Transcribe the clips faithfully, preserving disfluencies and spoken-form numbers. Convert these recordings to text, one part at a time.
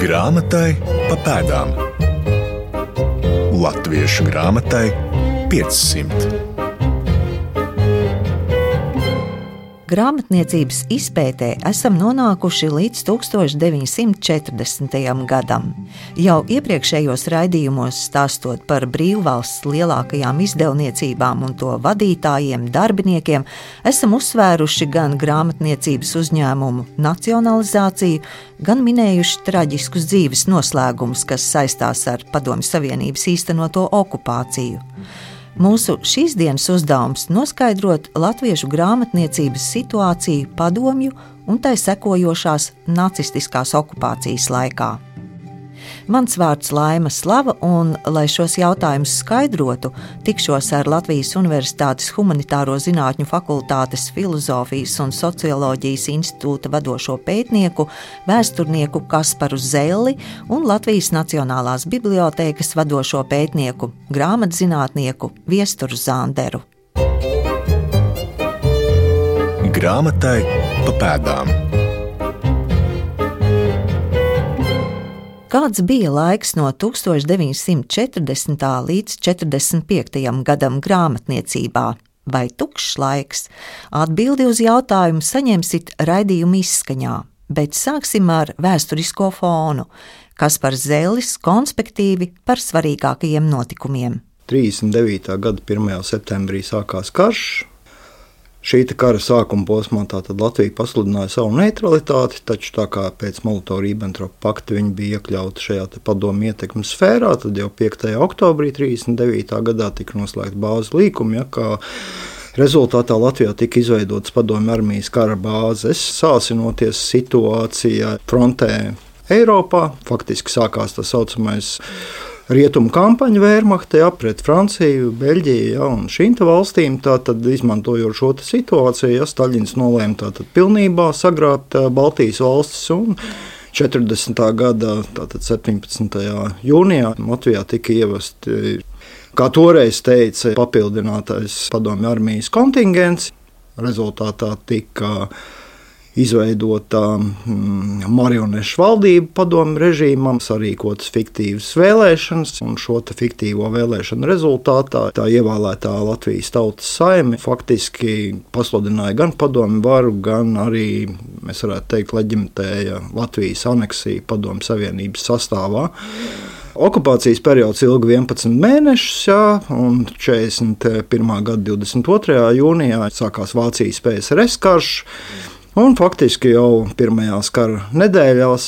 Grāmatai pa pēdām. Latviešu grāmatai piecsimt. Grāmatniecības izpētē esam nonākuši līdz tūkstoš deviņsimt četrdesmitajam gadam. Jau iepriekšējos raidījumos stāstot par brīvvalsts lielākajām izdevniecībām un to vadītājiem, darbiniekiem, esam uzsvēruši gan grāmatniecības uzņēmumu nacionalizāciju, gan minējuši traģiskus dzīves noslēgumus, kas saistās ar Padomju Savienības īstenoto okupāciju. Mūsu šīs dienas uzdevums noskaidrot latviešu grāmatniecības situāciju padomju un tai sekojošās nacistiskās okupācijas laikā. Mans vārds Laima Slava, un, lai šos jautājumus skaidrotu, tikšos ar Latvijas Universitātes Humanitāro zinātņu fakultātes Filozofijas un socioloģijas institūta vadošo pētnieku, vēsturnieku Kasparu Zelli un Latvijas Nacionālās bibliotēkas vadošo pētnieku, grāmatzinātnieku Viesturu Zanderu. Grāmatai pa pēdām. Kāds bija laiks no tūkstoš deviņsimt četrdesmitā līdz četrdesmit piektajam gadam grāmatniecībā? Vai tukšs laiks? Atbildi uz jautājumu saņemsit raidījuma izskaņā, bet sāksim ar vēsturisko fonu. Kaspars Zellis konspektīvi par svarīgākajiem notikumiem. trīsdesmit devītā gada pirmajā septembrī sākās karš. Šī kara sākuma posmā tātad Latvija pasludināja savu neutralitāti, taču tā kā pēc Molotovu-Ribbentropa pakta viņi bija iekļauti šajā padomju ietekmes sfērā, tad jau piektajā oktobrī trīsdesmit devītā gadā tika noslēgta bāzes līkuma, ja, kā rezultātā Latvijā tika izveidotas padomju armijas kara bāzes, sāsinoties situācijā frontē Eiropā. Faktiski sākās tā saucamais rietumu kampaņa Wehrmachtē pret Franciju, Beļģiju, ja, un šīm valstīm, tātad izmantojot šo situāciju, ja, Staļins nolēma tātad pilnībā sagrābt Baltijas valstis, un četrdesmitā gada tātad septiņpadsmitajā jūnijā Latvijā tika ievesti, kā toreiz teica, papildinātais padomju armijas kontingents. Rezultātā tika izveidota mm, marionešu valdība padomju režīmam, sarīkotas fiktīvas vēlēšanas, un šo fiktīvo vēlēšanu rezultātā tā ievēlētā Latvijas Tautas Saime faktiski pasludināja gan padomju varu, gan arī, mēs varētu teikt, leģimitēja Latvijas aneksiju Padomju Savienības sastāvā. Okupācijas periods ilga vienpadsmit mēnešus, jā, un četrdesmit pirmā gada divdesmit otrajā jūnijā sākās Vācijas P S R S karš. Un faktiski jau pirmajās kara nedēļās,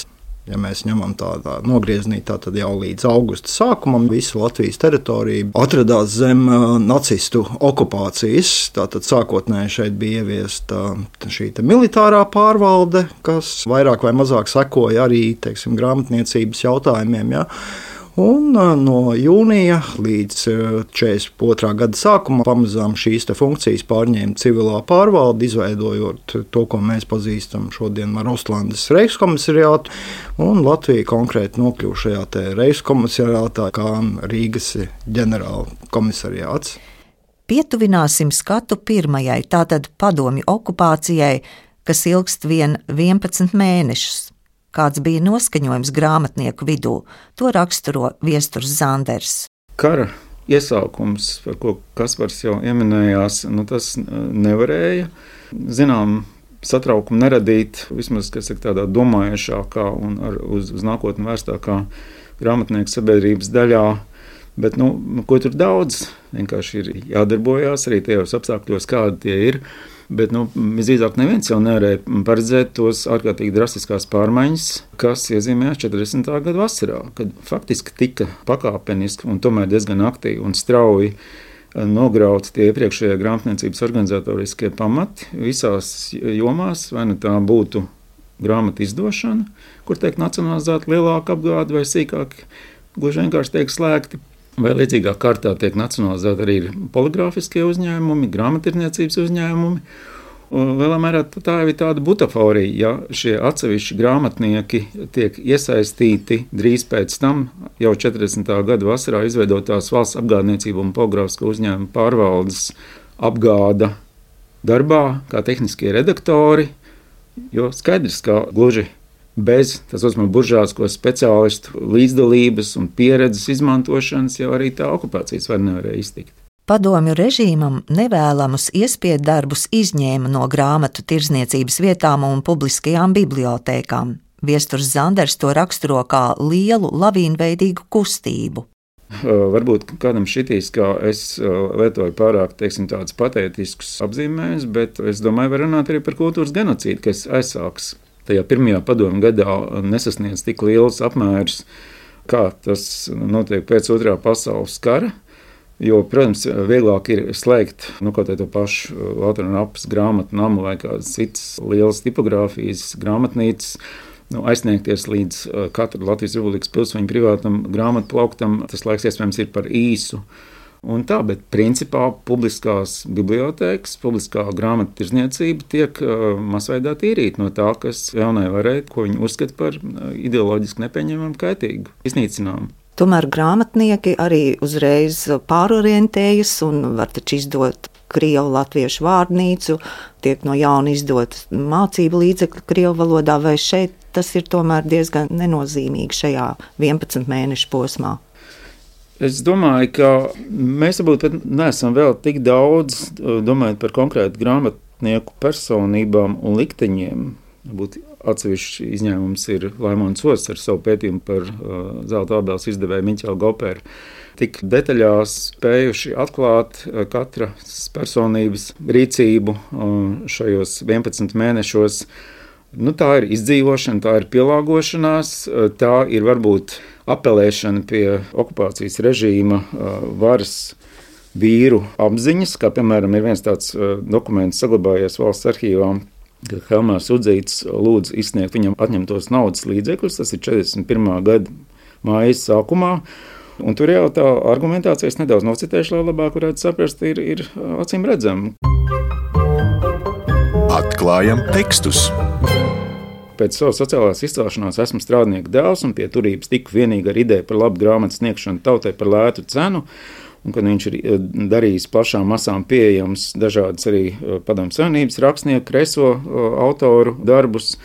ja mēs ņemam tādā nogriezienī, tad jau līdz augusta sākumam visa Latvijas teritorija atradās zem nacistu okupācijas. Tātad sākotnēji šeit bija ieviesta šī militārā pārvalde, kas vairāk vai mazāk sekoja arī, teiksim, grāmatniecības jautājumiem. Ja. Un no jūnija līdz četrdesmit otrā gada sākumam pamazām šīs funkcijas pārņēma civilā pārvalde, izveidojot to, ko mēs pazīstam šodien ar Ostlandes Reichskomisariātu, un Latvija konkrēti nokļuva šajā Reichskomisariātā kā Rīgas ģenerāla komisariāts. Pietuvināsim skatu pirmajai, tātad padomju okupācijai, kas ilgst vien vienpadsmit mēnešus. Kāds bija noskaņojums grāmatnieku vidū, to raksturo Viesturs Zanders. Kara iesaukums, par ko Kaspars jau ieminējās, nu tas nevarēja, zinām, satraukumu neradīt, vismaz, kas ir tādā domājušākā un ar, uz, uz nākotni vērstākā grāmatnieku sabiedrības daļā. Bet, nu, ko tur daudz, vienkārši ir jādarbojās arī tajos apstākļos, kādi tie ir. Bet, nu, visdrīzāk neviens jau nevarēja paredzēt tos ārkārtīgi drastiskās pārmaiņas, kas iezīmējās četrdesmitā gada vasarā, kad faktiski tika pakāpeniski un tomēr diezgan aktīvi un strauji nograuti tie iepriekšējie grāmatniecības organizatoriskie pamati visās jomās, vai nu tā būtu grāmatu izdošana, kur tiek nacionalizēta lielāka apgāde vai sīkāk, gluži vienkārši tiek slēgti. Vai līdzīgā kārtā tiek nacionalizēti arī poligrāfiskie uzņēmumi, grāmattirdzniecības uzņēmumi. Lielā mērā tā ir tāda butaforija, ja šie atsevišķi grāmatnieki tiek iesaistīti drīz pēc tam, jau četrdesmitā gada vasarā izveidotās valsts apgādniecību un poligrāfisko uzņēmumu pārvaldes apgāda darbā kā tehniskie redaktori, jo skaidrs, ka gluži bez tā saucamā buržāsko speciālistu līdzdalības un pieredzes izmantošanas jau arī tā okupācijas var nevarēja iztikt. Padomju režīmam nevēlamus iespiedu darbus izņēma no grāmatu tirdzniecības vietām un publiskajām bibliotēkām. Viesturs Zanders to raksturo kā lielu lavīnveidīgu kustību. Varbūt kādam šitīs, kā es lietoju pārāk, teiksim, tādus patētiskus apzīmējumus, bet es domāju, var runāt arī par kultūras genocīdu, kas aizsāks tajā pirmajā padomju gadā nesasniedz tik liels apmērs, kā tas notiek pēc otrā pasaules kara. Jo, protams, vieglāk ir slēgt nu, kaut to pašu Valtera Rapas grāmatu namu vai kādas citas lielas tipogrāfijas grāmatnīcas, nu, aizsniegties līdz katra Latvijas Republikas pilsoņa privātam grāmatu plauktam. Tas laiks iespējams ir par īsu. Un tā, bet principā publiskās bibliotēkas, publiskā grāmatu tirdzniecība tiek uh, masveidā tīrīta no tā, kas jaunai varai, ko viņi uzskata par ideoloģiski nepieņemamu, kaitīgu, iznīcinājumu. Tomēr grāmatnieki arī uzreiz pārorientējas un var taču izdot krievu latviešu vārnīcu, tiek no jauna izdot mācību līdzekļu krievu valodā, vai šeit tas ir tomēr diezgan nenozīmīgi šajā vienpadsmit mēnešu posmā? Es domāju, ka mēs varbūt neesam vēl tik daudz domājot par konkrētu grāmatnieku personībām un likteņiem. Būt atsevišķi izņēmums ir Laimons Osts ar savu pētījumu par uh, Zelta ābeles izdevēju Miķelu Goperu. Tik detaļās spējuši atklāt uh, katras personības rīcību uh, šajos vienpadsmit mēnešos. Nu, tā ir izdzīvošana, tā ir pielāgošanās, uh, tā ir varbūt apelēšana pie okupācijas režīma uh, varas vīru apziņas, kā piemēram ir viens tāds uh, dokuments saglabājies valsts arhīvām, kad Helmārs Udzītis lūdz izsniegt viņam atņemtos naudas līdzekļus, tas ir četrdesmit pirmā gada mājas sākumā, un tur jau tā argumentācija, es nedaudz nocitēšu, lai labāk varētu saprast, ir, ir acīm redzama. Atklājam tekstus. Pēc savas sociālās izcelšanās esmu strādnieku dēls un pie turības tiku vienīgi ar ideju par labu grāmatu sniegšanu tautai par lētu cenu, un kad viņš ir darījis plašām masām pieejams dažādas arī Padomju Savienības rakstnieku, kreiso autoru darbus,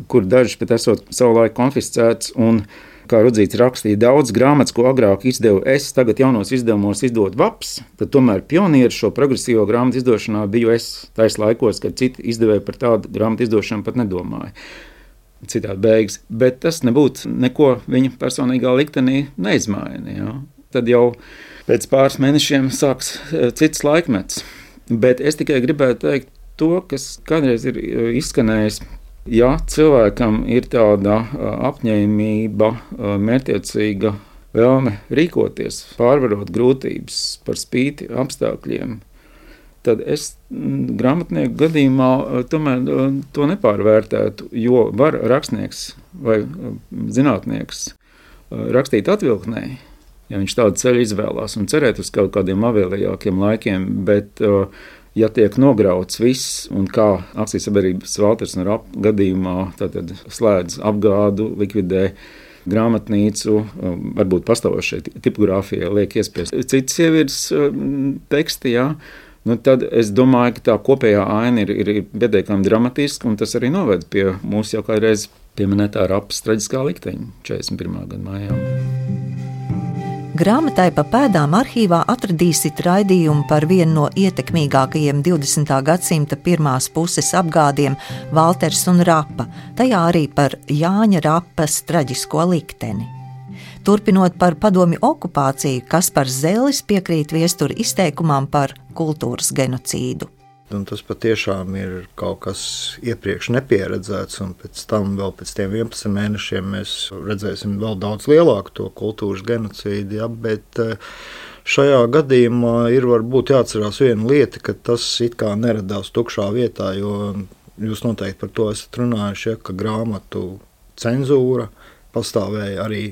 kur dažas pat esot savulaik konfiscēts, un, kā Rudzīts rakstīja, daudz grāmatas, ko agrāk izdevu es, tagad jaunos izdevumos izdod Vaps, tad tomēr pionieris šo progresīvo grāmatu izdošanā biju es tais laikos, kad citi izdevēji par tādu grāmatu izdošanu pat nedomāja. Citādi beigas, bet tas nebūtu neko viņa personīgā liktenī neizmaina. Ja? Tad jau pēc pāris mēnešiem sāks cits laikmets. Bet es tikai gribētu teikt to, kas kādreiz ir izskanējis. Ja cilvēkam ir tāda apņēmība, mērķtiecīga vēlme rīkoties, pārvarot grūtības par spīti apstākļiem, tad es grāmatnieku gadījumā tomēr to nepārvērtētu, jo var rakstnieks vai zinātnieks rakstīt atvilknē, ja viņš tādu ceļu izvēlās un cerēt uz kaut kādiem avēlējākiem laikiem, bet ja tiek nograuts viss un kā akcijas-sabiedrības Valters Rapa gadījumā tātad slēdz apgādu, likvidē grāmatnīcu, varbūt pastāvošai tipogrāfijai liek iespiest citas sievietes teksti, jā, nu tad es domāju, ka tā kopējā aina ir, ir, ir pietiekami dramatiska, un tas arī noved pie mūsu jau kādreiz pieminētā Rapas traģiskā likteņa četrdesmit pirmā gada mājā. Grāmatai pa pēdām arhīvā atradīsit raidījumu par vienu no ietekmīgākajiem divdesmitā gadsimta pirmās puses apgādiem Valters un Rapa, tajā arī par Jāņa Rapas traģisko likteni. Turpinot par padomju okupāciju, Kaspars Zellis piekrīt viestura izteikumam par kultūras genocīdu. Un tas patiešām ir kaut kas iepriekš nepieredzēts, un pēc tam vēl pēc tiem vienpadsmit mēnešiem mēs redzēsim vēl daudz lielāku to kultūras genocīdu, ja, bet šajā gadījumā ir varbūt jāatcerās viena lieta, ka tas it kā neradās tukšā vietā, jo jūs noteikti par to esat runājuši, ja, ka grāmatu cenzūra pastāvēja arī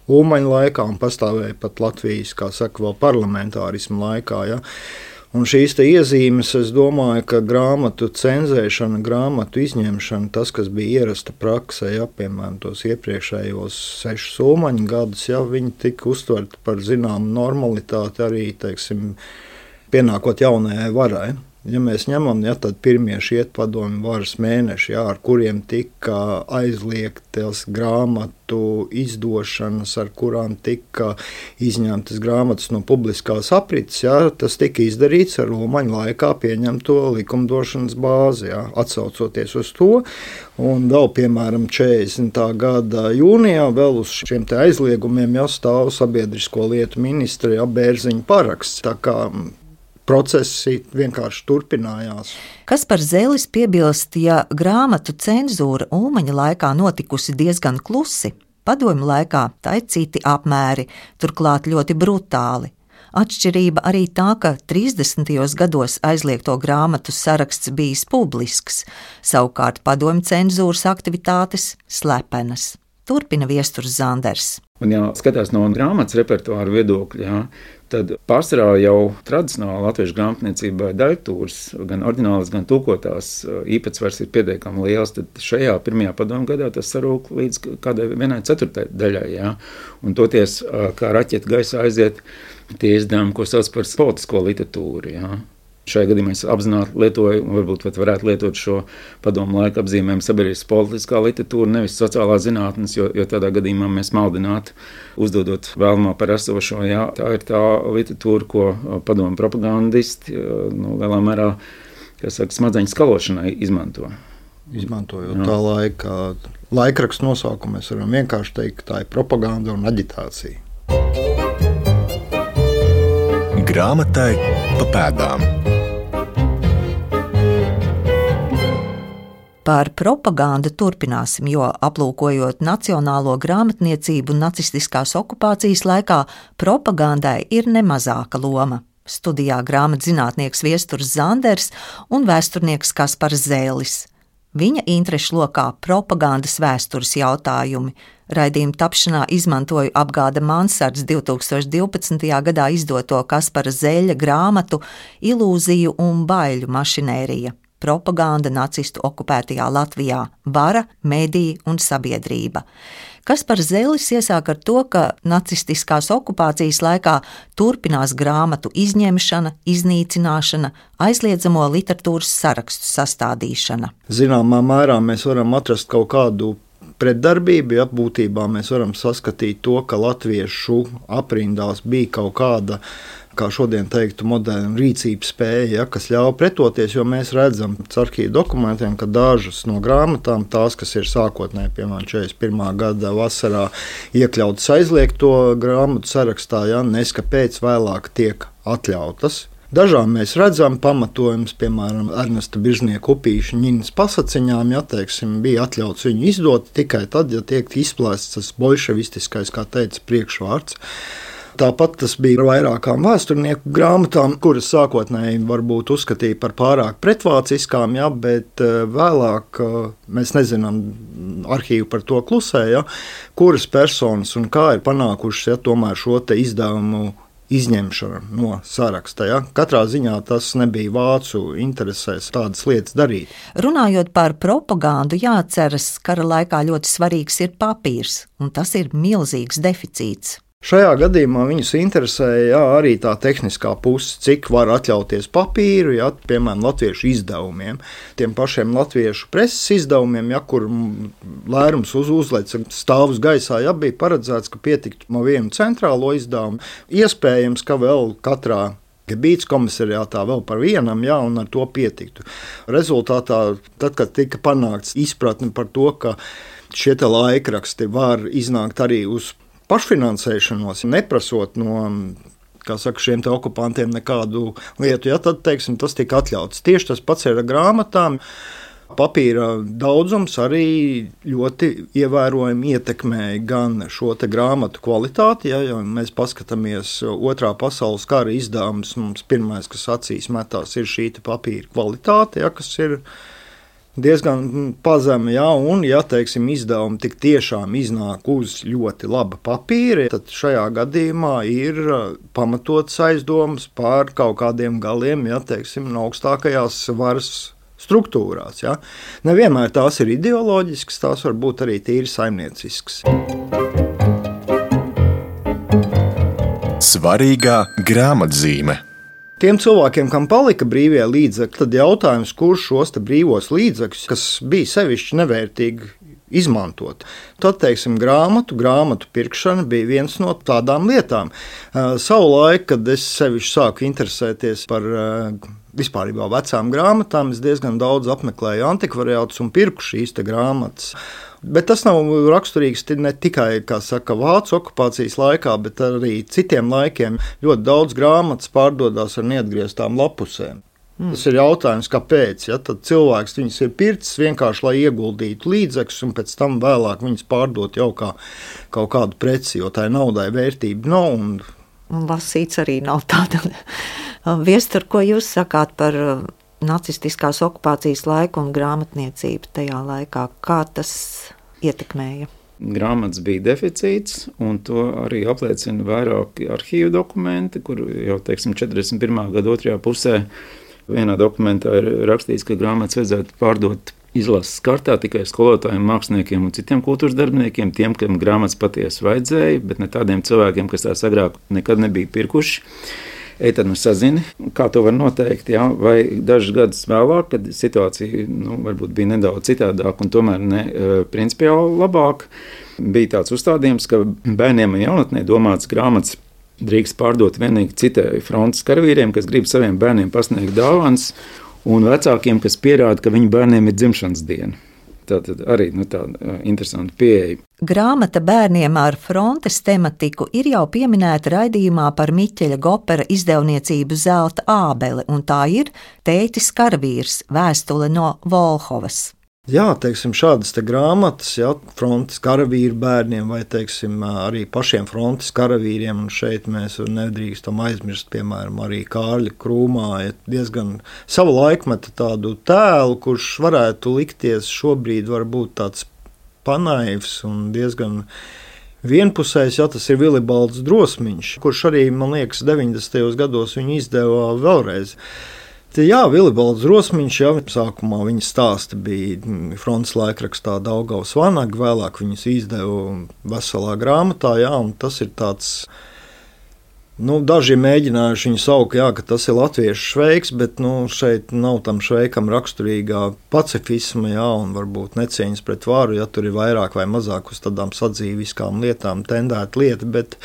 Ulmaņa laikā un pastāvēja pat Latvijas, kā saka, vēl parlamentārismu laikā, ja. Un šīs te iezīmes, es domāju, ka grāmatu cenzēšana, grāmatu izņemšana, tas, kas bija ierasta praksē, ja, piemēram, tos iepriekšējos sešus Ulmaņa gadus, ja, viņi tika uztverti par zināmu normalitāti arī, teiksim, pienākot jaunajai varai. Ja mēs ņemam, ja, tad pirmie šie padomju varas mēneši, ja, ar kuriem tika aizliegtas grāmatu izdošanas, ar kurām tika izņemtas grāmatas no publiskās aprits, ja, tas tika izdarīts ar Ulmaņa laikā pieņemto likumdošanas bāzi, ja, atsaucoties uz to. Un vēl, piemēram, četrdesmitā gada jūnijā vēl uz šiem te aizliegumiem jāstāv sabiedrisko lietu ministra ja, Bērziņa paraksts. Tā kā procesi vienkārši turpinājās. Kaspars Zelis piebilst, ja grāmatu cenzūra Ulmaņa laikā notikusi diezgan klusi, padomju laikā tā ir citi apmēri, turklāt ļoti brutāli. Atšķirība arī tā, ka trīsdesmitajos gados aizliegto grāmatu saraksts bijis publisks, savukārt padomju cenzūras aktivitātes slepenas. Turpina Viesturs Zanders. Un, ja skatās no grāmatas repertuāra viedokļa, jā, tad pārsvarā jau tradicionāli latviešu grāmatniecībā daļtūras, gan oriģinālas, gan tulkotās īpatsvars ir pietiekami liels, tad šajā pirmajā padomju gadā tas sarūk līdz kādai vienai ceturtai daļai. Jā. Un toties, kā raķeti gaisā aiziet tie izdevumi, ko sauc par politisko literatūru. Jā. Šajā gadījumā es apzināti lietoju, un varbūt pat varētu lietot šo padomu laika apzīmējumu sabiedriskas politiskā literatūra, nevis sociālā zinātnes, jo, jo tādā gadījumā mēs maldinātu, uzdodot vēlamā par esošo. Jā, tā ir tā literatūra, ko padomu propagandisti nu, lielā mērā, kas saka, smadzeņu skalošanai izmanto. Izmantojot jā. Tā laika laikrakstu nosaukumu, mēs varam vienkārši teikt, ka tā ir propaganda un aģitācija. Grāmatai pa pēdām. Par propagandu turpināsim, jo aplūkojot nacionālo grāmatniecību nacistiskās okupācijas laikā, propagandai ir nemazāka loma. Studijā grāmatzinātnieks Viesturs Zanders un vēsturnieks Kaspars Zelis. Viņa interešu lokā propagandas vēstures jautājumi. Raidījuma tapšanā izmantoju Apgāda Mansards divtūkstoš divpadsmitajā gadā izdoto Kaspara Zeļa grāmatu Ilūziju un baiļu mašinērija. Propaganda nacistu okupētajā Latvijā, vara, mediji un sabiedrība. Kaspars Zelis iesāk ar to, ka nacistiskās okupācijas laikā turpinās grāmatu izņemšana, iznīcināšana, aizliedzamo literatūras sarakstu sastādīšana. Zināmā mērā mēs varam atrast kaut kādu pretdarbību, ja būtībā mēs varam saskatīt to, ka latviešu aprindās bija kaut kāda, kā šodien teiktu, moderna rīcības spēja, ja, kas ļauj pretoties, jo mēs redzam caur arhīvu dokumentiem, ka dažas no grāmatām, tās, kas ir sākotnēji, piemēram, četrdesmit pirmā gada vasarā iekļautas aizliegto grāmatu sarakstā, ja, neskapēc vēlāk tiek atļautas. Dažām mēs redzam pamatojums, piemēram, Ernesta Biržnieka upīša ņinas pasaciņām, ja, teiksim, bija atļauts viņu izdot tikai tad, ja tiek izplēsts tas bolševistiskais, kā teica, priekšvārds. Tāpat tas bija ar vairākām vēsturnieku grāmatām, kuras sākotnēji varbūt uzskatīja par pārāk pretvāciskām, ja, bet vēlāk mēs nezinām, arhīvu par to klusē, ja, kuras personas un kā ir panākušas ja, tomēr šo te izdevumu izņemšana no saraksta. Ja. Katrā ziņā tas nebija vācu interesēs tādas lietas darīt. Runājot par propagandu, jāatceras, kara laikā ļoti svarīgs ir papīrs, un tas ir milzīgs deficīts. Šajā gadījumā viņus interesēja jā, arī tā tehniskā puse, cik var atļauties papīru, jā, piemēram, latviešu izdevumiem. Tiem pašiem latviešu preses izdevumiem, jā, kur lērums uz uzlēca stāvus gaisā, jā, bija paredzēts, ka pietiktu no vienu centrālo izdevumu. Iespējams, ka vēl katrā Gebīts komisariātā vēl par vienam, jā, un ar to pietiktu. Rezultātā, tad, kad tika panākts izpratni par to, ka šie te laikraksti var iznākt arī uz pašfinansēšanos, neprasot no, kā saka, šiem te okupantiem nekādu lietu, ja, tad, teiksim, tas tika atļauts. Tieši tas pats ir ar grāmatām. Papīra daudzums arī ļoti ievērojami ietekmēja gan šo te grāmatu kvalitāti, ja, ja mēs paskatāmies otrā pasaules kara izdevumus, mums pirmais, kas acīs metās, ir šī te papīra kvalitāte, ja, kas ir diezgan pazema, ja, un, ja, teiksim, izdevumi tik tiešām iznāk uz ļoti laba papīra, tad šajā gadījumā ir pamatots aizdomas par kaut kādiem galiem, ja, teiksim, no augstākajās varas struktūrās. Ja. Nevienmēr tās ir ideoloģiskas, tās var būt arī tīri saimnieciskas. Svarīgā grāmatzīme. Tiem cilvēkiem, kam palika brīvie līdzekļi, tad jautājums, kurš šos te brīvos līdzekļus, kas bija sevišķi nevērtīgi, izmantot. Tad, teiksim, grāmatu, grāmatu pirkšana bija viens no tādām lietām. Savulaik, kad es sevišķi sāku interesēties par vispārībā vecām grāmatām, es diezgan daudz apmeklēju antikvariātus un pirku šīs te grāmatas. Bet tas nav raksturīgs ne tikai, kā saka, vācu okupācijas laikā, bet arī citiem laikiem. Ļoti daudz grāmatas pārdodās ar neatgrieztām lapusēm. Mm. Tas ir jautājums, kāpēc. Ja? Tad cilvēks viņus ir pircis vienkārši, lai ieguldītu līdzekļus, un pēc tam vēlāk viņus pārdot jau kā kaut kādu preci, jo tai naudai vērtība nav. Un... un lasīts arī nav tāda. Viestur, ko jūs sakāt par nacistiskās okupācijas laiku un grāmatniecību tajā laikā? Kā tas ietekmēja? Grāmatas bija deficīts, un to arī apliecina vairāki arhīvu dokumenti, kur jau, teiksim, četrdesmit pirmā gada otrajā pusē vienā dokumentā ir rakstīts, ka grāmatas vajadzētu pārdot izlases kārtā tikai skolotājiem, māksliniekiem un citiem kultūras darbiniekiem, tiem, kam grāmatas patiesi vajadzēja, bet ne tādiem cilvēkiem, kas tās agrāk nekad nebija pirkuši. Ej, tad nu sazini, kā to var noteikt, jā, vai dažus gadus vēlāk, kad situācija nu, varbūt bija nedaudz citādāk un tomēr ne principiāli labāk, bija tāds uzstādījums, ka bērniem un jaunatnē domāts grāmatas drīkst pārdot vienīgi citai frontes karavīriem, kas grib saviem bērniem pasniegt dāvanas, un vecākiem, kas pierāda, ka viņu bērniem ir dzimšanas diena. Tātad arī nu, tāda interesanta pieeja. Grāmata bērniem ar frontes tematiku ir jau pieminēta raidījumā par Miķeļa Gopera izdevniecību Zelta ābele, un tā ir Tētis karavīrs, vēstule no Volhovas. Jā, teiksim, šādas te grāmatas, jā, frontes karavīru bērniem vai, teiksim, arī pašiem frontes karavīriem, un šeit mēs nedrīkstam aizmirst, piemēram, arī Kārļa Krūmāja diezgan savu laikmetu tādu tēlu, kurš varētu likties šobrīd varbūt tāds panaivs un diezgan vienpusējs, ja tas ir Vilibalds Drosmiņš, kurš arī, man liekas, deviņdesmitajos gados viņu izdeva vēlreiz. Jā, Vilibalds Drosmiņš, jā, sākumā viņa stāsti bija frontes laikrakstā Daugavas Vanaga, vēlāk viņus izdeva veselā grāmatā, jā, un tas ir tāds, nu, daži mēģinājuši viņu saukt, jā, ka tas ir latviešu šveiks, bet, nu, šeit nav tam šveikam raksturīgā pacifisma, jā, un varbūt necieņas pret varu, ja tur ir vairāk vai mazāk uz tādām sadzīviskām lietām tendēta lieta, bet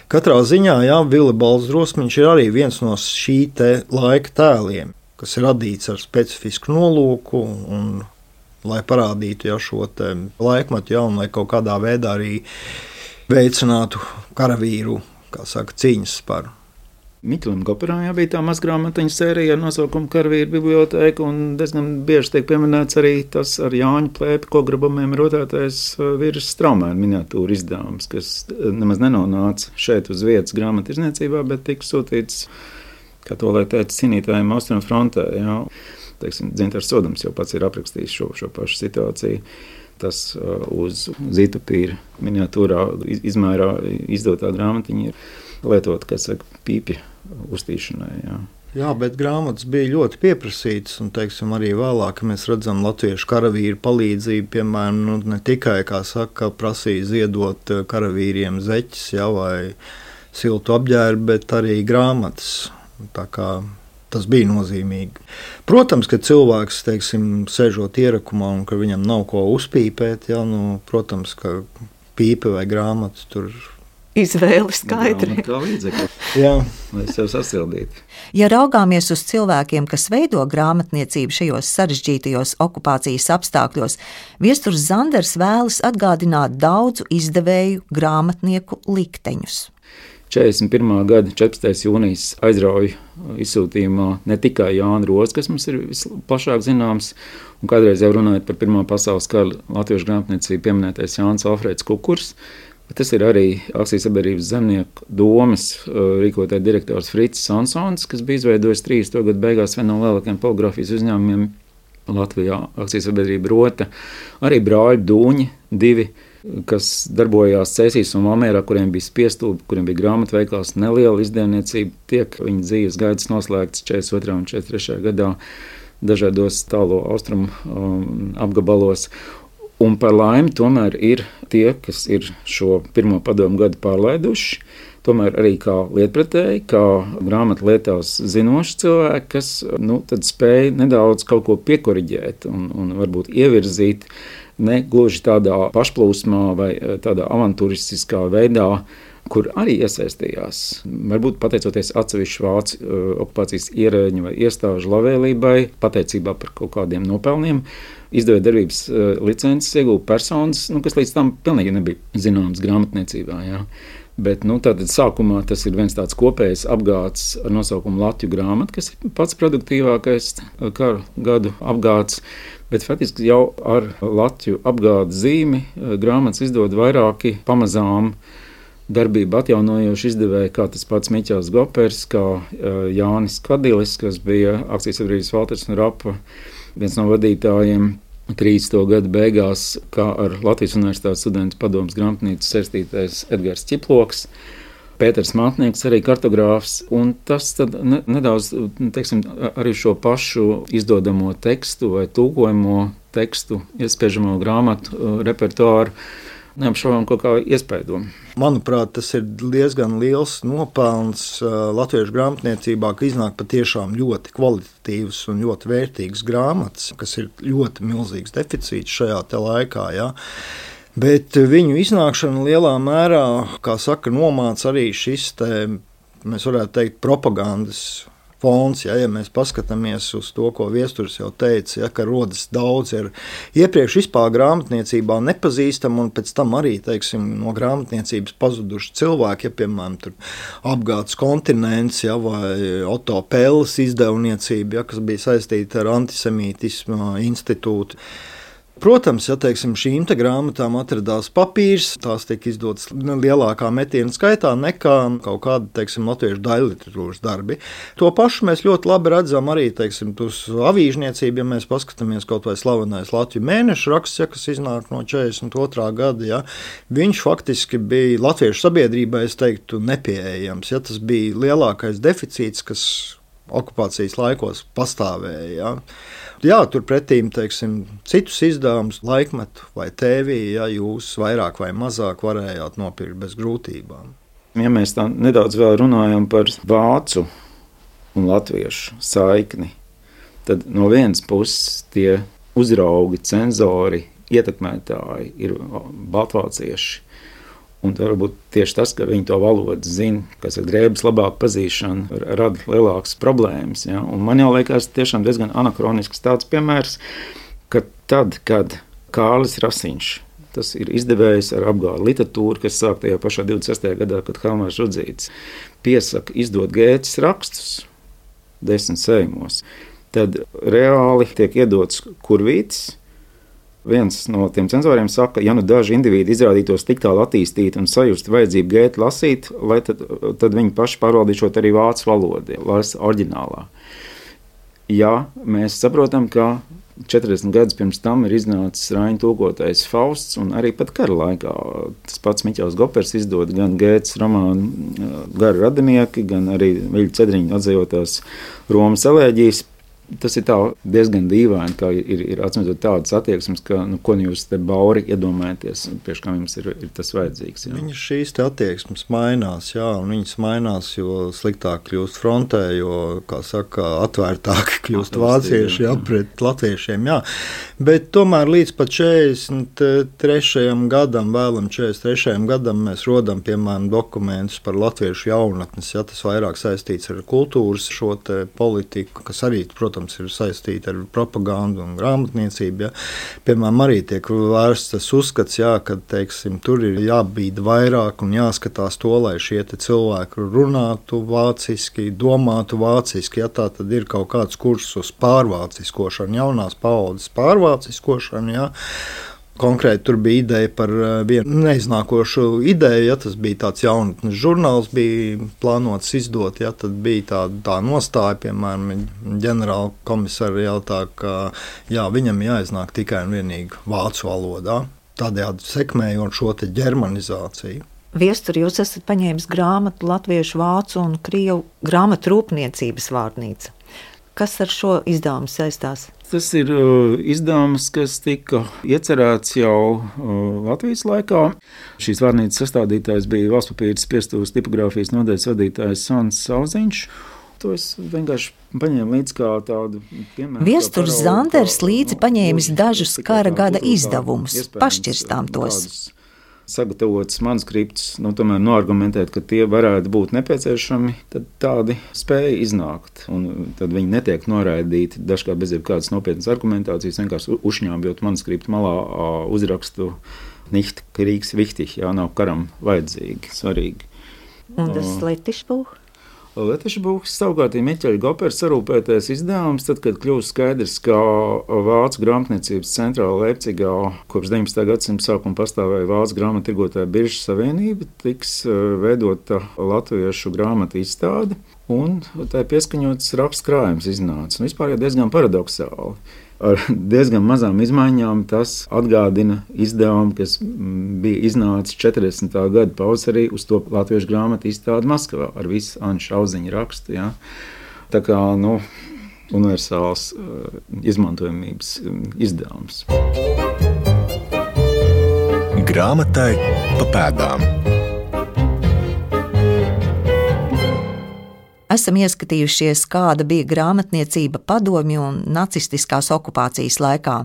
katrā ziņā, jā, Vilibalds Drosmiņš ir arī viens no šī te laika tēliem, kas ir radīts ar specifisku nolūku un lai parādītu jau šo te laikmetu, jā, un lai kaut kādā veidā arī veicinātu karavīru, kā saka, cīņas par. Miķelim Goperam jā, bija tā mazgrāmatiņa sērija ar nosaukumu Karavīru biblioteka, un diezgan bieži tiek pieminēts arī tas ar Jāņu Plēpi kograbumiem rotētais Virs Straumēna miniatūra izdevums, kas nemaz nenonāca šeit uz vietas grāmattirdzniecībā, bet tika sūtīts, kā to lai teica, cīnītājiem Austrumu frontē. Jā. Teiksim, Dzintars Sodums jau pats ir aprakstījis šo, šo pašu situāciju. Tas uh, uz zītupīra miniatūrā izmērā izdotā grāmatiņa ir lietot, kā saka, pīpja uztīšanai. Jā. Jā, bet grāmatas bija ļoti pieprasītas, un, teiksim, arī vēlāk mēs redzam latviešu karavīru palīdzību, piemēram, nu, ne tikai, kā saka, prasīja ziedot karavīriem zeķis, jā, vai siltu apģērbu, bet arī grāmatas. Tā kā tas bija nozīmīgi. Protams, ka cilvēks, teiksim, sēžot ierakumā un ka viņam nav ko uzpīpēt, jā, nu, protams, ka pīpe vai grāmata tur izvēle skaidri. Kā līdzekļi, jā. Lai sev sasildītu. Ja raugāmies uz cilvēkiem, kas veido grāmatniecību šajos sarežģītajos okupācijas apstākļos, Viesturs Zanders vēlas atgādināt daudzu izdevēju grāmatnieku likteņus. četrdesmit pirmā gada četrpadsmitais jūnijas aizrauju izsūtījumā ne tikai Jāna Roze, kas mums ir visplašāk zināms, un kādreiz jau runājot par Pirmā pasaules kara latviešu grāmatniecību pieminētais Jānis Alfrēds Kukurs, bet tas ir arī Akcijas sabiedrības zemnieku domes rīkotāja direktors Frits Sansons, kas bija izveidojis trīsdesmito gadu beigās vienu no lielākajiem poligrāfijas uzņēmumiem Latvijā, Akcijas sabiedrība Rota, arī brāļi Dūņi, divi, kas darbojās Cēsīs un Valmierā, kuriem bija spiestūbi, kuriem bija grāmatveikals, neliela izdevniecība, tiek viņa dzīves gaitas noslēgts četrdesmit otrajā un četrdesmit trešajā gadā dažādos tālo austrumu um, apgabalos. Un par laimi tomēr ir tie, kas ir šo pirmo padomu gadu pārlaiduši. tomēr arī kā lietpratēji, kā grāmatu lietās zinoši cilvēki, kas nu, tad spēj nedaudz kaut ko piekoriģēt un, un varbūt ievirzīt ne gluži tādā pašplūsmā vai tādā avantūristiskā veidā, kur arī iesaistījās. Varbūt pateicoties atsevišķu vācu uh, okupācijas ierēģņu vai iestāžu labvēlībai, pateicībā par kaut kādiem nopelniem, izdevēja darbības uh, licences iegūta personas, nu, kas līdz tam pilnīgi nebija zināmas grāmatniecībā. Jā. Bet nu, tātad sākumā tas ir viens tāds kopējs apgāds ar nosaukumu Latviju grāmata, kas ir pats produktīvākais karu gadu apgāds. Bet faktiski jau ar Latviju apgādes zīmi grāmatas izdod vairāki pamazām darbību atjaunojoši izdevēji, kā tas pats Miķels Gopers, kā Jānis Kadilis, kas bija akcijas sabiedrības Valters un Rapa viens no vadītājiem trīsdesmito gadu beigās, kā ar Latvijas Universitātes studentu padomes grāmatnīcu saistītais Edgars Ķiploks, Pēters Mātnieks, arī kartogrāfs, un tas tad ne, nedaudz, teiksim, arī šo pašu izdodamo tekstu vai tūkojamo tekstu, iespēžamo grāmatu repertuāru neapšaubām kaut kā iespēdo. Manuprāt, tas ir diezgan liels nopelns latviešu grāmatniecībā, ka iznāk patiešām ļoti kvalitatīvas un ļoti vērtīgas grāmatas, kas ir ļoti milzīgs deficīts šajā te laikā. Ja? Bet viņu iznākšana lielā mērā, kā saka, nomāca arī šis te, mēs varētu teikt, propagandas fons, ja, ja mēs paskatāmies uz to, ko Viesturs jau teica, ja, ka rodas daudz ir iepriekš vispār grāmatniecībā nepazīstami un pēc tam arī, teiksim, no grāmatniecības pazuduši cilvēki, ja, piemēram, tur apgādes kontinents, ja, vai Otto Pelles izdevniecība, ja, kas bija saistīta ar antisemītismu institūtu. Protams, ja teiksim, šīm te grāmatām atradās papīrs, tās tiek izdotas lielākā metiena skaitā nekā kaut kāda, teiksim, latviešu daļliteratūras darbi. To pašu mēs ļoti labi redzam arī, teiksim, uz avīžniecību, ja mēs paskatāmies kaut vai slavenais Latviju mēnešu raksts, ja, kas iznāk no četrdesmit otrā gada, ja, viņš faktiski bija latviešu sabiedrībai, es teiktu, nepieejams. Ja, tas bija lielākais deficīts, kas okupācijas laikos pastāvēja. Ja. Jā, turpretīm, teiksim, citus izdevumus, laikmetu vai tēvī, ja jūs vairāk vai mazāk varējāt nopirkt bez grūtībām. Ja mēs tā nedaudz vēl runājam par vācu un latviešu saikni, tad no vienas puses tie uzraugi, cenzori, ietekmētāji ir baltvācieši. Un varbūt tieši tas, ka viņi to valodu zina, kas ir drēbes labāk pazīšana, rada lielākas problēmas. Ja? Un man jau liekas tiešām diezgan anakronisks tāds piemērs, ka tad, kad Kārlis Rasiņš, tas ir izdevējs ar apgādu literatūru, kas sāk tajā pašā divdesmit sestajā gadā, kad Helmārs Rudzītis piesaka izdot Gētes rakstus desmit sējumos, tad reāli tiek iedots kurvītis. Viens no tiem cenzoriem saka, ja nu daži indivīdi izrādītos tik tālu attīstīti un sajust vajadzību Gētu lasīt, lai tad, tad viņi paši pārvaldīšot arī vācu valodu, lasa oriģinālā. Ja mēs saprotam, ka četrdesmit gadus pirms tam ir iznācis Raņa tūkotais Fausts, un arī pat kara laikā tas pats Miķels Gopers izdod gan Gētes romānu Gari radinieki, gan arī Viļa Cedriņa atzējotās Romas elēģijas. Tas ir tā diezgan dīvaini, ka ir, ir atsimtot tādas attieksmes, ka, nu, ko jūs te bauri iedomājaties, priekš kā jums ir, ir tas vajadzīgs. Jā. Viņas šīs te attieksmes mainās, jā, un viņas mainās, jo sliktāk kļūst frontē, jo, kā saka, atvērtāk kļūst vācieši, jā, pret latviešiem, jā. Bet tomēr līdz pat četrdesmit trešajam gadam, vēlam četrdesmit trešajam gadam mēs rodam, piemēram, dokumentus par latviešu jaunatnes, ja tas vairāk saistīts ar kultūras šo te politiku, kas arī, protams, ir saistīta ar propagandu un grāmatniecību. Ja. Piemēram, arī tiek vērsts tas uzskats, jā, ka, teiksim, tur ir jābīda vairāk un jāskatās to, lai šie te cilvēki runātu vāciski, domātu vāciski. Ja tā tad ir kaut kāds kurs uz pārvāciskošanu, jaunās paaudzes pārvāciskošanu, jā. Konkrēti tur bija ideja par vienu neiznākošu ideju, ja tas bija tāds jaunatnes žurnāls, bija plānots izdot, ja tad bija tā, tā nostāja, piemēram, ģenerāla komisāra jautā, ka jā, viņam jāiznāk tikai un vienīgi vācu valodā, tādējādi sekmējot šo te ģermanizāciju. Viestur, jūs esat paņēmis grāmatu latviešu, vācu un krievu grāmatu rūpniecības vārnīca. Kas ar šo izdevumu saistās? tas ir uh, izdevums, kas tika iecerēts jau uh, Latvijas laikā. Šīs vārnīcas sastādītājs bija Valsts papīra spiestuvas tipogrāfijas nodaļas vadītājs Sons Sauziņš. To es vienkārši paņēmu līdzi kā tādu piemēru. Viesturs Zanders līdzi paņēmis dažus kara gada izdevumus, pašķirstām tos. Sagatavots manuskripts, nu, tomēr noargumentēt, ka tie varētu būt nepieciešami, tad tādi spēja iznākt. Un tad viņi netiek noraidīti dažkārt bez jebkādas nopietnas argumentācijas, vienkārši uzšņābjot manuskriptu malā uzrakstu nicht Kriegs wichtig, jā, nav karam vajadzīgi, svarīgi. Un tas Letišbuch? Letišbuchs savukārt ir Miķeļa Gopera sarūpētais izdevums, tad, kad kļūst skaidrs, ka Vācu grāmatniecības centrāla Leipcigā kopš deviņpadsmitā gadsimta sākuma pastāvēja Vācu grāmattirgotāju biržu savienība, tiks veidota latviešu grāmatu izstāde, un tā pieskaņots raksts krājums iznāca. Un vispār jau diezgan paradoksāli. Ar diezgan mazām izmaiņām tas atgādina izdevumu, kas bija iznācis četrdesmitā gada pavasarī uz to latviešu grāmatu izstādi Maskavā ar visu Anu Šauziņa rakstu. Ja? Tā kā nu, universāls uh, izmantojamības izdevums. Grāmatai pa pēdām. Esam ieskatījušies, kāda bija grāmatniecība padomju un nacistiskās okupācijas laikā.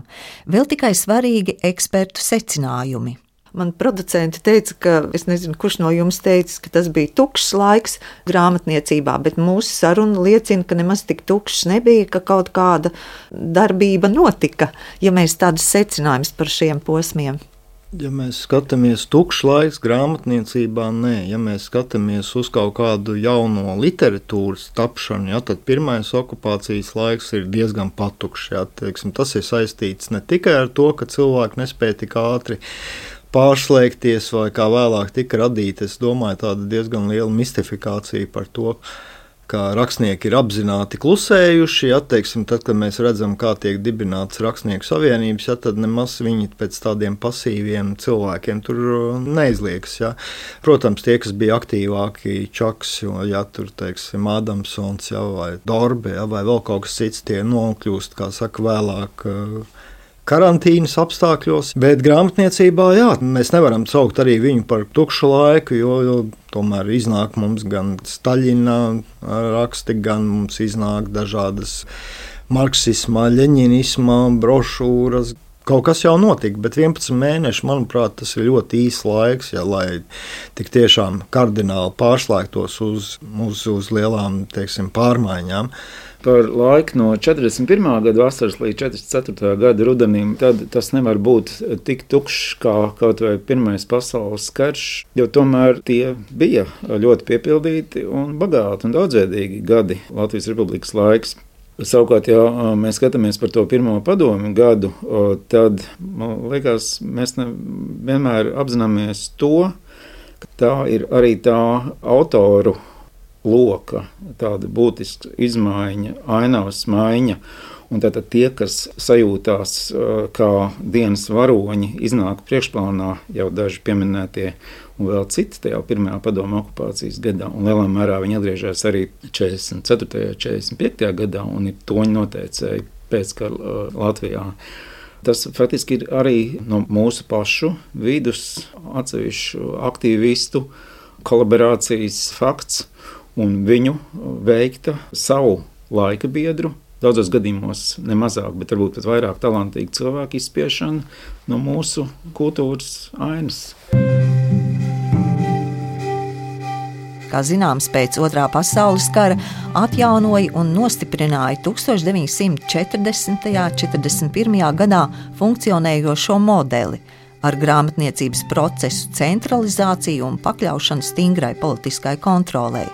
Vēl tikai svarīgi ekspertu secinājumi. Man producenti teica, ka es nezinu, kurš no jums teica, ka tas bija tukšs laiks grāmatniecībā, bet mūsu saruna liecina, ka nemaz tik tukšs nebija, ka kaut kāda darbība notika, ja mēs tādus secinājumus par šiem posmiem. Ja mēs skatāmies tukšs laiks grāmatniecībā, nē. Ja mēs skatāmies uz kaut kādu jauno literatūras tapšanu, ja, tad pirmais okupācijas laiks ir diezgan patukšs. Ja, teiksim, tas ir saistīts ne tikai ar to, ka cilvēki nespēja tik ātri pārslēgties vai kā vēlāk tika radīta. Es domāju, tāda diezgan liela mistifikācija par to, ka rakstnieki ir apzināti klusējuši, ja, teiksim, tad, kad mēs redzam, kā tiek dibināts rakstnieku savienības, ja, tad nemaz viņi pēc tādiem pasīviem cilvēkiem tur neizliekas. Ja. Protams, tie, kas bija aktīvāki, Čaks, ja, tur, teiksim, Adamsons, ja, vai Dorbe, ja, vai vēl kaut kas cits, tie nokļūst, kā saka, vēlāk karantīnas apstākļos, bet grāmatniecībā, jā, mēs nevaram saukt arī viņu par tukšu laiku, jo, jo tomēr iznāk mums gan Staļina raksti, gan mums iznāk dažādas marksismā, ļeņinismā brošūras. Kaut kas jau notika, bet vienpadsmit mēneši, manuprāt, tas ir ļoti īs laiks, ja, lai tik tiešām kardināli pārslēgtos uz, uz, uz lielām, teiksim, pārmaiņām. Par laiku no četrdesmit pirmā gada vasaras līdz četrdesmit ceturtā gada rudenim, tad tas nevar būt tik tukšs kā kaut vai Pirmais pasaules karš, jo tomēr tie bija ļoti piepildīti un bagāti un daudzveidīgi gadi Latvijas Republikas laiks. Savukārt, ja mēs skatāmies par to pirmo padomju gadu, tad, man liekas, mēs ne, vienmēr apzināmies to, ka tā ir arī tā autoru loka, tāda būtiska izmaiņa, ainavas maiņa. Un tātad tie, kas sajūtās kā dienas varoņi, iznāk priekšplānā jau daži pieminētie un vēl citi tajā pirmajā padomju okupācijas gadā. Un lielā mērā viņi atgriežas arī četrdesmit ceturtajā, četrdesmit piektajā gadā un ir toņi noteicēji pēckara Latvijā. Tas faktiski ir arī no mūsu pašu vidus atsevišķu aktīvistu kolaborācijas fakts un viņu veikta savu laika biedru, daudzos gadījumos ne mazāk, bet varbūt pat vairāk talantīgu cilvēku izspiešana no mūsu kultūras ainas. Kā zināms, pēc Otrā pasaules kara atjaunoja un nostiprināja deviņdesmit četrdesmitajā un četrdesmit pirmajā gadā funkcionējošo modeli ar grāmatniecības procesu centralizāciju un pakļaušanu stingrai politiskai kontrolei.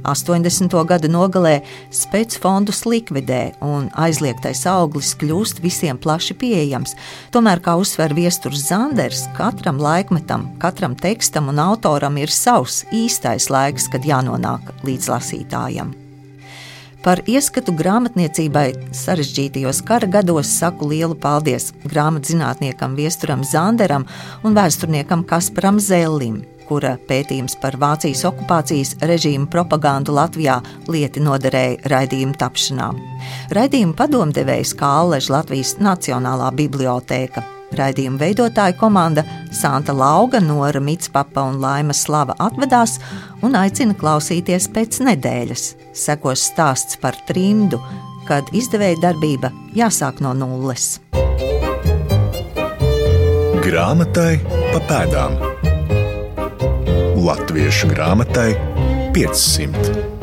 astoņdesmito gadu nogalē specfondus likvidē un aizliegtais auglis kļūst visiem plaši pieejams. Tomēr, kā uzsver Viesturs Zanders, katram laikmetam, katram tekstam un autoram ir savs īstais laiks, kad jānonāk līdz lasītājam. Par ieskatu grāmatniecībai sarežģītajos kara gados saku lielu paldies grāmatzinātniekam Viesturam Zanderam un vēsturniekam Kasparam Zellim. kura pētījums par Vācijas okupācijas režīma propagandu Latvijā lieti noderēja raidījuma tapšanā. Raidījuma padomdevējs Kālež Latvijas Nacionālā bibliotēka. Raidījuma veidotāja komanda Santa Lauga, Nora Mitspapa un Laima Slava atvedās un aicina klausīties pēc nedēļas. Sekos stāsts par trimdu, kad izdevēja darbība jāsāk no nulles. Grāmatai pa pēdām. Latviešu grāmatai piecsimt.